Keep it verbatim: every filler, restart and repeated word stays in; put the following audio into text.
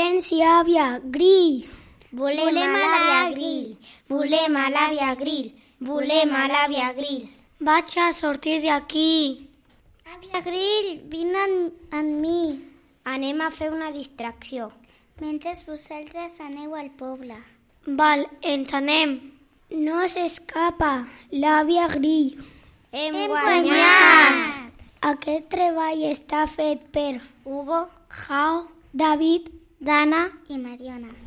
Silenci, àvia, grill. Volem a l'àvia Grill. Volem a l'àvia Grill. Volem a l'àvia Grill. Vaig a sortir d'aquí. Àvia Grill, vine amb mi. Anem a fer una distracció. Mentre vosaltres aneu al poble. Val, ens anem. No s'escapa, l'àvia Grill. Hem, Hem guanyat! Aquest treball està fet per Hugo, Jao, David, Dana i Mariona.